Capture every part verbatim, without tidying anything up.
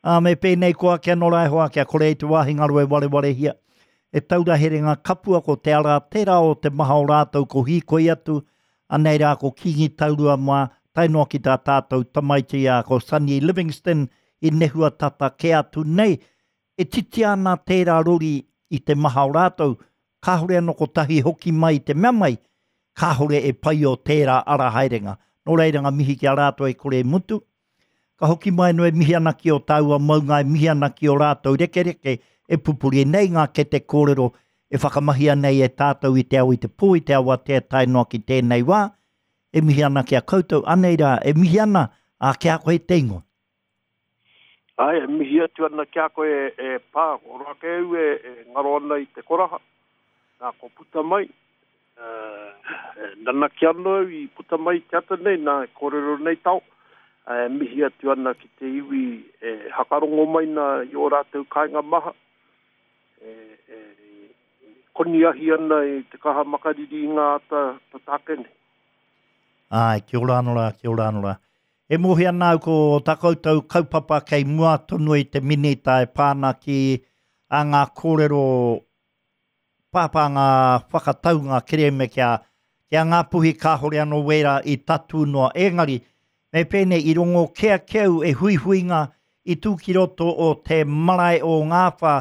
Ā, me pēnei koa kia nora e hoa, kia kore i te wāhi ngaro e warewarehia. E taura herenga kapua ko te ara tērā o te maha o rātou ko hīkoi atu, anei rā ko Kīngi Taurua mā, tae noa ki tā tātou tamaiti a ko Sonny Livingston i nehua tata kē atu nei. E titia ana tērā rori i te maha o rātou, kāore anō kotahi hoki mai i te mea mai, kāore e paio tērā ara haerenga. Nō reira ngā mihi ki a rātou e kore e mutu. Ka hoki mai anō e mihi ana ki o tāua maunga, e mihi ana ki o rātou rekereke e pupuri nei ngā kete kōrero e whakamahia nei e tātou i te ao i te pō, i te awatea tae noa ki tēnei wā. E mihi ana ki a koutou, anei rā, e mihi ana, ā, ki a koe te ingoa. Āe, e mihi atu ana ki a koe e Pā, ko roa kē au e ngaro ana i te koraha, nā ko puta mai, e nanakia anō au i puta mai i te ata nei, nā e kōrero nei tao, e mihi atu ana ki te iwi e hakarongo mai nā i ō rātou kāinga maha, e, e koniahi ana i te kaha makariri i ngā ata tata ake nei. Āe, kia ora anō rā, kia ora anō rā. E mōhio ana au ko tā koutou kaupapa kei mua tonu i te minita e pā ana ki a ngā kōrero pāpā ngā whakataunga kerēme ki a, ki a Ngāpuhi kāhore anō wērā i tatū noa. Engari, me pēnei i rongo kē ake au e huihuinga i tū ki roto o te marae o Ngāwhā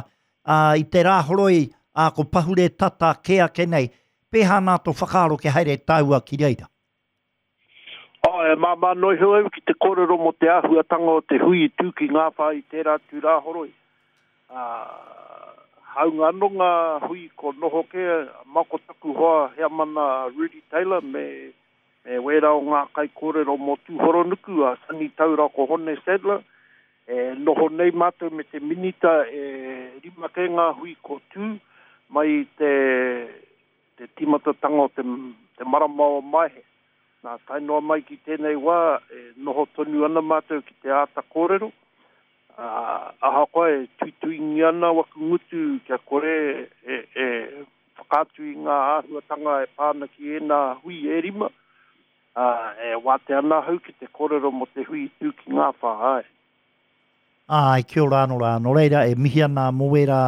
ā, i te Rāhoroi, ā, ko pahure tata kē ake nei. Pēhā nā tō whakaaro kia haere tāua ki reira? Oh, e māmā noa iho au ki te kōrero mō te āhuatanga o te hui i tū ki Ngāwhā i tērā atu Rāhoroi. Ā, hāunga anō ngā hui ko noho kē ma ko taku hoa heamana Rudy Taylor me, me wērā o ngā kaikōrero mō Tūhoronuku a Sonny Taura ko Hone Sadler. E noho nei mātou me te minita e rima kē ngā hui ko tū mai i te, te tīmatatanga o te, te marama o Maehe. Nā, tae noa mai ki tēnei wā, e noho tonu ana mātou ki te āta kōrero. Ā, ahakoa e tuituingia ana waku ngutu kia kore e, e whakaatu i ngā āhuatanga e pā ana ki ēnā hui e rima, ā, e wātea ana ahau ki te kōrero mō te hui i tū ki Ngāwhā, āe. Āe, kia ora anō rā. Nō reira, e mihi ana mō wērā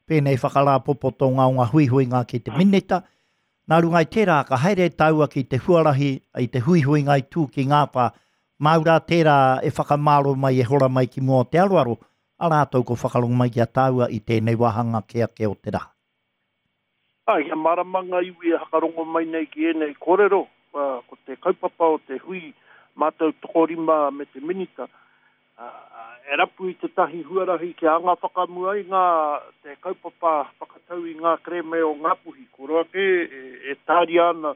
pēnei whakarāpopotonga o ngā huihuinga ki te minita. Nā runga i tērā, ka haere tāua ki te huarahi i te huihuinga i tū ki Ngāwhā, māu rā tērā e whakamāro mai, e hora mai ki mua o te aroaro, a rātou ko whakarongo mai ki a tāua i tēnei wāhanga kē ake o te rā. Ā, kia mārama ngā iwi e hakarongo mai nei ki ēnei kōrero, ko te kaupapa o te hui mātou tokorima me te minita, e rapu i tētahi huarahi kia anga whakamua i ngā te kaupapa whakatau i ngā kerēme o Ngāpuhi. Ko roa kē e, e tāria ana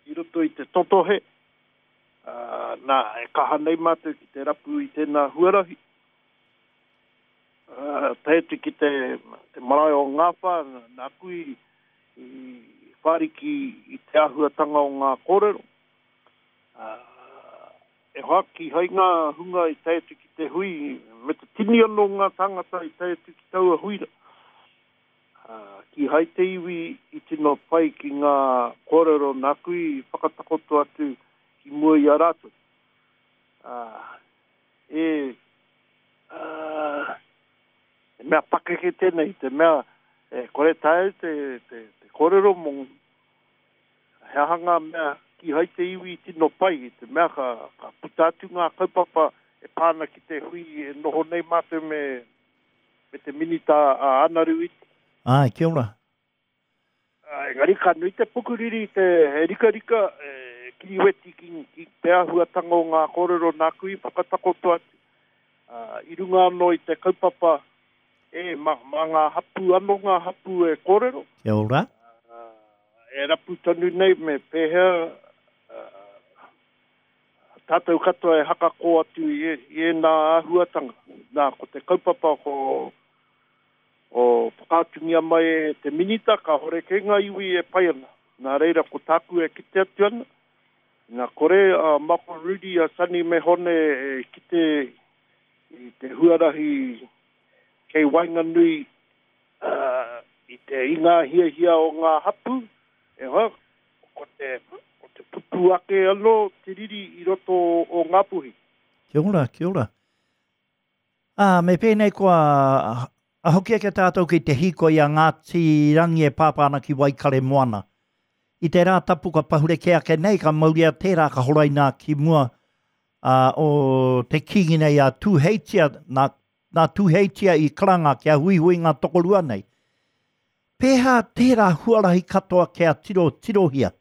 i roto i te totohe, uh, nā, e kaha nei mātou ki te rapu i tēnā huarahi. Uh, tae atu ki te, te marae o Ngāwhā, nāku i, i whāriki i te āhuatanga o ngā kōrero. Uh, e hoa, kīhai ngā hunga i tae atu ki te hui, me te tini anō ngā tāngata i tae atu ki taua huira. Uh, kīhai te iwi i tino pai ki ngā kōrero nāku i whakatakoto atu ki mua i a rātou. Uh, e, uh, e mea pakeke tēnei, te mea e kore tae te, te, te kōrero mō he aha ngā mea kīhai te iwi i tino pai, i te mea ka, ka puta atu ngā kaupapa e pā ana ki te hui e noho nei mātou me, me te minita a Anaru Iti. Āe, kia ora. Engari ka nui te pukuriri, te rikarika, e kiriweti ki, ki te āhuatanga o ngā kōrero nāku i whakatakoto atu. Uh, i runga anō i te kaupapa, e, mā, mā ngā hapū anō ngā hapū e kōrero. Kia ora. Uh, e rapu tonu nei me pēhea uh, tātou katoa e hakakō atu i, i ēnā āhuatanga. Nā, ko te kaupapa ko o whakaatungia mai e te minita, kāhore kē ngā iwi e pai ana. Nā reira, ko tāku e kite atu ana, nā kore a Mako Rudy, a Sonny me Hone e kite i te huarahi kei waenganui uh, i te i ngā hiahia o ngā hapū, e hoa, ko te, ko te pupu ake anō te riri i roto o Ngāpuhi. Kia ora, kia ora. Ā, me pēnei kua a hoki ake tātou ki te hīkoi a Ngāti Rangi e pāpā ana ki Waikaremoana. I te rā tapu ka pahure kē ake nei, ka mauria tērā ka horaina ki mua uh, o te kīngi nei a Tūheitia, nā, nā Tūheitia i karanga kia huihui ngā tokorua nei. Pēhā tērā huarahi katoa kia tiro tirohia.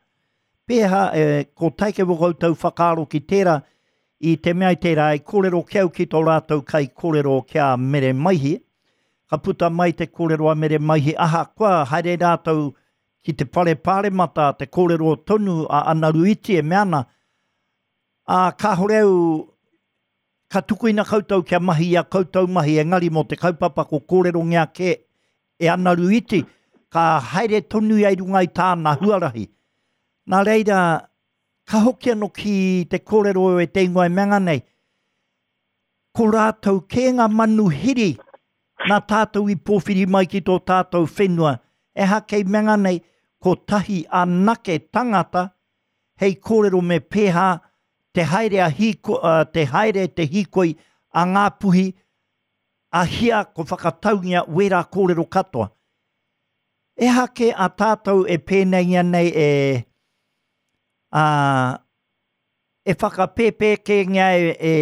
Pēhā e, ko taike wō koutou whakaaro ki tērā, i te mea i tērā i kōrero ki au ki tō rātou kai kōrero kia Mere Maihi. Ka puta mai te kōrero a Mere Maihi, ahakoa haere rātou ki te whare pāremata te kōrero tonu a Anaru Iti e mea ana, ā, kāhore au ka tukuina koutou kia mahi i a koutou mahi, engari mō te kaupapa ko kōrerongia kē e Anaru Iti, ka haere tonu ia i runga i tāna huarahi. Nā reira, ka hoki anō ki te kōrero e te ingoa e mea nei, ko rātou kē ngā manuhiri nā tātou i pōwhiri mai ki tō tātou whenua, e kei mea nei, ko tahi anake tangata hei kōrero me pēhā te haere, a hiko, uh, te haere te hīkoi a Ngāpuhi a hia ko whakataungia wērā kōrero katoa. Ehake a tātou e pēneingia nei e, a, e whakapēpēkēngia e, e,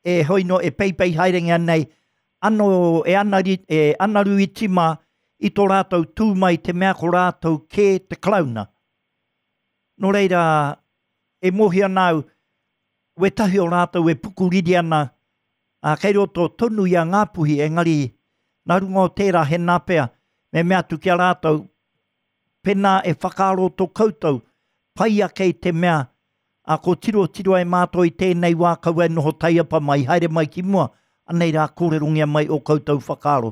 e hoino e peipei haerengia nei ano e, anari, e anaru iti mā i tō rātou tū mai te mea ko rātou kē te Karauna. Nō reira, e mohi ana au, wetahi o rātou e pukuriri ana, a, kei roto tonu i a Ngāpuhi, engari nā runga o tērā he nā pea, me mea atu ki a rātou, pēnā e whakaaro tō koutou, pai ake i te mea, a ko tiro tiro e mātou i tēnei wā kaua e noho taiapa mai, haere mai ki mua, anei rā kōrerongia mai o koutou whakaaro.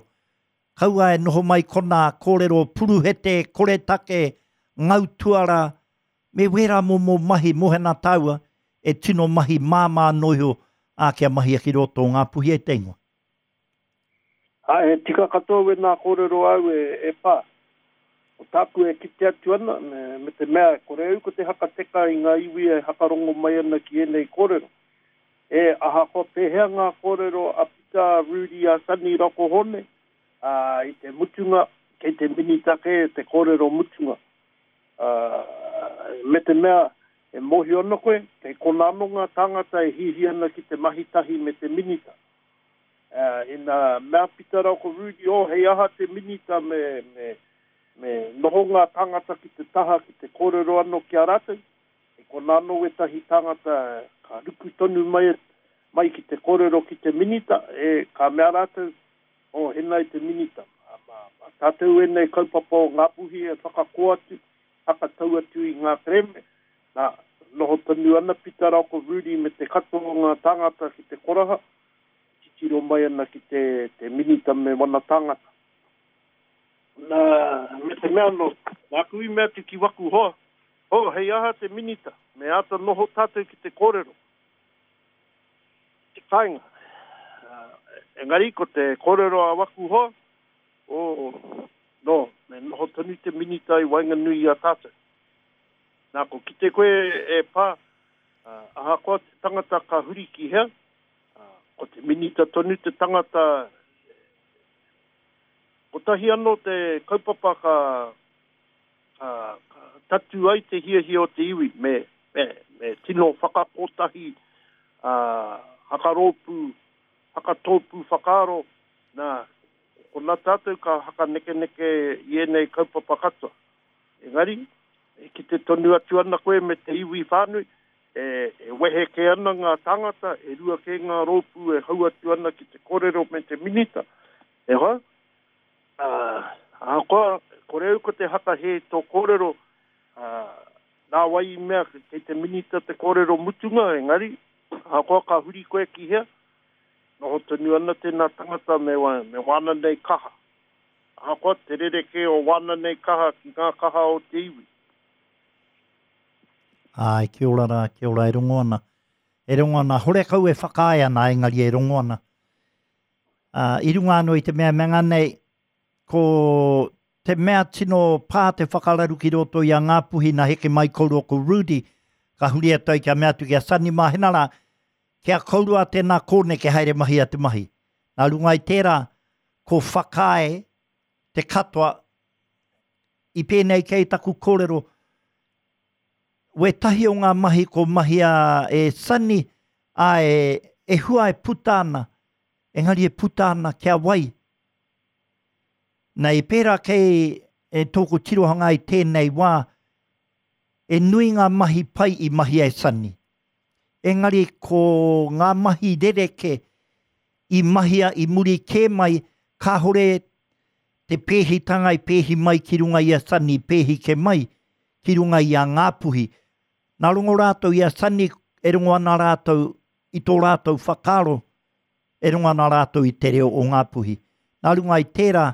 Kaua e noho mai kona kōrero puruhete, koretake, ngautuara, me wērā momo mahi mohena tāua, e tino mahi māmā noiho a kia mahi ki roto o Ngāpuhi e te ingoa. A, e tika katoa we nā kōrero au e, e pā. O tāku e kite atu ana, me, me te mea, kore au ko te hakateka i ngā iwi e hakarongo mai ana ki ēnei kōrero. E ahakoa pēhea ngā kōrero a Pita, Rudy, a Sonny Rokohone, a, i te mutunga, kei te minita kē te kōrero mutunga. A, me te mea, e mōhio ana koe, kei kona anō ngā tāngata e hihi ana ki te mahi tahi me te minita. Uh, ina mea Pita rau ko Rudy, oh, hei aha te minita me, me, me noho ngā tāngata ki te taha, ki te kōrero anō ki a rātou. E kona anō wetahi tāngata ka ruku tonu mai, mai ki te kōrero ki te minita, e ka mea rātou, oh, henai te minita. Ma, ma, ma tātou enei kaupapa o Ngāpuhi e whakakoa atu, whakatau atu i ngā kereme. Nā, noho tonu ana Pita rau ko Rudy me te katoa o ngā tāngata ki te koraha, titiro mai ana ki te, te minita me wana tāngata. Nā, me te mea no, nāku i mea atu ki waku hoa, oh, hei aha te minita, me āta noho tātou ki te kōrero. Te kāinga. Uh, engari ko te kōrero a waku hoa, oh, no, me noho tonu te minita i waenganui i a tātou. Nā, ko kite koe e pā, uh, ahakoa te tangata ka huri ki hea, uh, ko te minita tonu te tangata, kotahi anō te kaupapa ka, ka, ka tatu ai te hiahia o te iwi, me, me, me tino whakakotahi, uh, hakarōpū, hakatōpū whakaaro, nā, ko nā tātou ka hakanekeneke i ēnei kaupapa katoa. Engari, e kite tonu atu ana koe me te iwi whānui, e, e wehe ke ana ngā tāngata, e rua ke ngā rōpū e hau atu ana ki te kōrero me te minita. E hoa, uh, ahakoa, kore au ko te hakahe tō kōrero, uh, nā wai i mea kei te minita te kōrero mutunga, engari, ahakoa ka huri koe ki hea, noho tonu ana tēnā tangata me, wa, me wāna nei kaha. Ahakoa te rerekē o wāna nei kaha ki ngā kaha o te iwi. Ai, kia ora rā, kia ora e rongo ana. E rongo ana, horekau e whakaae ana, engari e rongo ana. Uh, i runga anō i te mea mea nei, ko te mea tino pā te whakararu ki roto i a Ngāpuhi nā heke mai kōrua ko Rudy, ka huri atu ai kia mea atu ki a Sonny Mahena rā, Kia kourua tēnā kōneke haere mahi a te mahi. Nā runga i tērā, ko whakaae te katoa, i pēnei kei taku kōrero, wētahi o ngā mahi ko mahia e Sonny, a e, e hua e puta ana, engari e puta ana kia wai. Nei pērā kei e tōku tirohanga i tēnei wā, e nui ngā mahi pai i mahi e Sonny. Engari ko ngā mahi rereke i mahia i muri kē mai, kāhore te pēhitanga i pēhi mai ki runga i a Sonny, pēhi ke mai ki runga i a Ngāpuhi. Nā rongo rātou i a Sonny, e rongo ana rātou i tō rātou whakaaro, e rongo ana rātou i te reo o Ngāpuhi. Nā runga i tērā,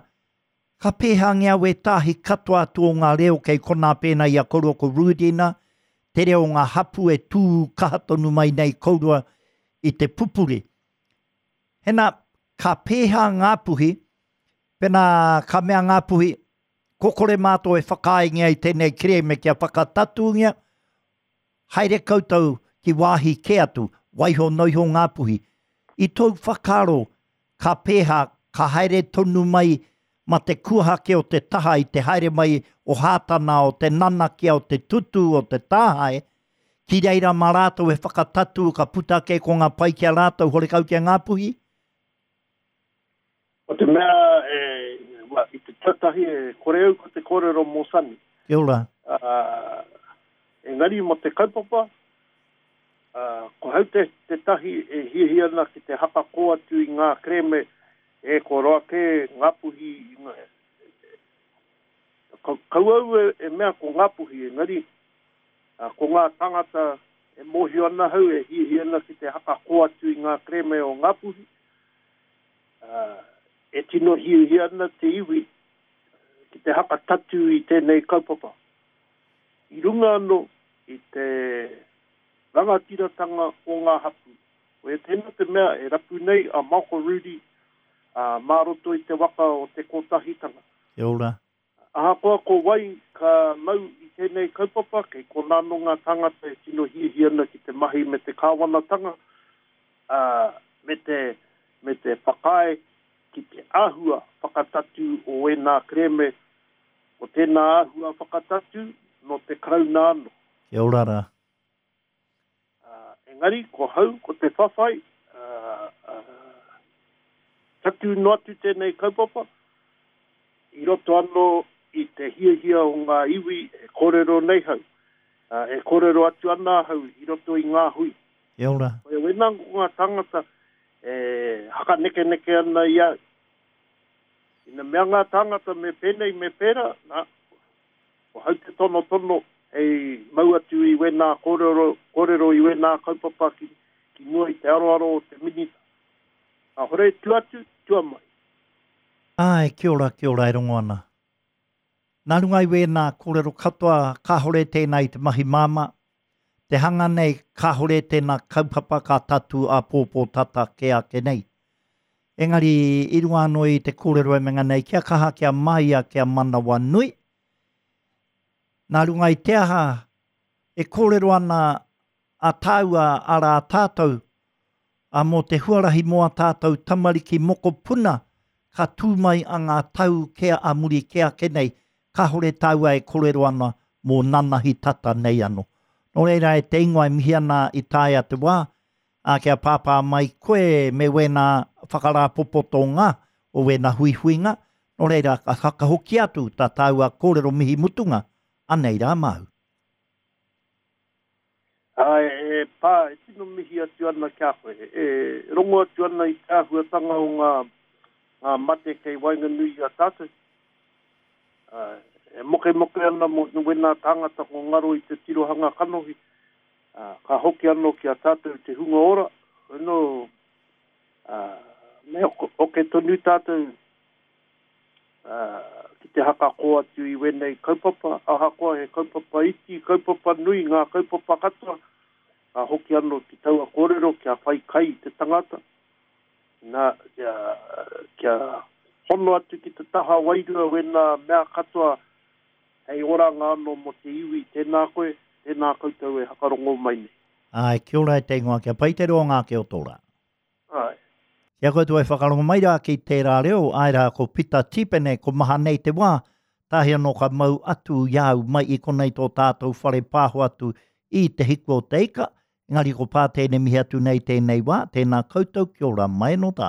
ka pēhangia wētahi katoa atu o ngā reo kei konā pēnā i a koroua ko Rudina, te reo o ngā hapu e tū kaha tonu mai nei kourua i te pupuri. Hena, ka pēhā Ngāpuhi, pēnā ka mea Ngāpuhi, ko kore mātou e whakaaengia i tēnei kerēme kia whakatatūngia, haere koutou ki wāhi kē atu, waiho noiho Ngāpuhi. I tōu whakaaro, ka pēhā, ka haere tonu mai ma te kuahake o te taha i te haere mai o Hātana, o te nanakia, o te tutu, o te tāhae, ki reira mā rātou e whakatatū, ka puta ake ko ngā pai ki a rātou, horekau ki a Ngāpuhi? Ko te mea, e, wa, i te tuatahi e kore au ko te kōrero mō Sonny. Kia ora. Uh, engari mō te kaupapa, uh, ko hau te, te tahi e hiahia ana ki te hakakō atu i ngā kerēme, e ko roa ke Ngāpuhi, kau au e, e mea ko Ngāpuhi, engari uh, ko ngā tangata e mōhio ana hau e hiahia ana ki te hakakō atu i ngā kerēme o Ngāpuhi, uh, e tino hiahia ana te iwi ki te hakatatu i tēnei kaupapa. I runga anō i te rangatiratanga o ngā hapu. Ko e tēnā te mea e rapu nei a Malcolm Rudi a mā roto i te waka o te kotahitanga. Kia ora. Ahakoa ko wai ka mau i tēnei kaupapa, kei konā nō ngā tangata e tino hiahia ana ki te mahi me te kāwanatanga, uh, me te, me te whakaae ki te āhua whakatatū o ēnā kerēme, o tēnā āhua whakatatū no te Karauna anō. Kia ora rā. Uh, engari, ko hau, ko te whawhai, uh, uh, tatū noa atu tēnei kaupapa, i roto anō i te hiahia o ngā iwi e kōrero nei hau, uh, e kōrero atu ana hau i roto i ngā hui. Kia ora. Ko e wena ko ngā tangata e hakanekeneke ana i au. Ina mea ngā tangata me pēnei me pērā, nā, ko hau te tono tono hei mau atu i wēnā kōrero, kōrero i wēnā kaupapa ki, ki mua i te aroaro o te minita. Ka hore tu atu, tua mai. Ai, kia ora, kia ora e rongo ana. Nā runga i wēnā kōrero katoa, kāhore tēnā i te mahi māmā. Te hanga nei, kāhore tēnā kaupapa ka tatu a pōpō tata ke ake nei. Engari, i runga anō i te kōrero e menga nei, kia kaha, kia maia, kia manawa nui. Nā runga i te aha, e kōrero ana a tāua ara a tātou, a mō te huarahi mō a tātou tamariki mokopuna, ka tū mai a ngā tau kea a muri ke ake nei, kāhore tāua e kōrero ana mō nanahi tata nei anō. Nō reira e te ingoa e mihi ana i taea te wā, a kia pāpā mai koe me wēnā whakarāpopotonga o wēnā huihuinga, nō reira ka whakahoki atu tā tāua kōrero mihi mutunga, anei rā māu. Ai, e pā, e tino mihi atu ana kia koe. E rongo atu ana i te āhuatanga o ngā, ngā mate kei waenganui i a tātou. Uh, e moke moke ana mo wēnā tāngata ko ngaro i te tirohanga kanohi. Uh, ka hoki anō ki a tātou te hunga ora. No, uh, me oke tonu tātou uh, ki te hakakō atu i wēnei kaupapa. Ahakoa he kaupapa iti, kaupapa nui, ngā kaupapa katoa. Ka hoki anō ki taua kōrero kia whai kai te tangata. Nā, kia, kia hono atu ki te taha wairua wēnā mea katoa hei oranga anō mō te iwi. Tēnā koe, tēnā koutou e hakarongo mai nei. Ai, kia ora e te ingoa, kia pai te roanga ake o tō rā. Ai. Kia koutou e whakarongo mai rā ki tērā reo, āe rā ko Pita Tīpene, ko maha nei te wā, tahi anō ka mau atu i a au mai i konei tō tātou whare pāho atu i Te Hiku o Te Ika, engari ko Pā tēnei mihi atu nei tēnei wā, tēnā koutou, kia ora mai anō tātou.